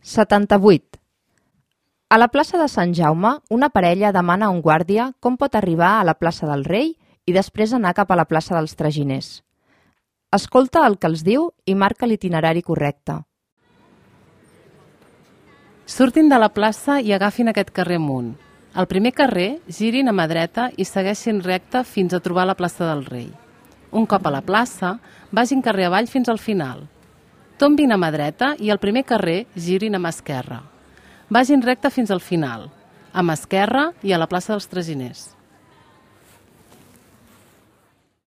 78. A la plaça de Sant Jaume, una parella demana a un guàrdia com pot arribar a la plaça del Rei i després anar cap a la plaça dels Traginers. Escolta el que els diu i marca l'itinerari correcte. Surtin de la plaça i agafin aquest carrer amunt. Al primer carrer, girin a mà dreta i segueixin recte fins a trobar la plaça del Rei. Un cop a la plaça, vagin carrer avall fins al final. Tombin a mà dreta i al primer carrer girin a mà esquerra. Vagin recte fins al final, a mà esquerra i a la plaça dels Traginers.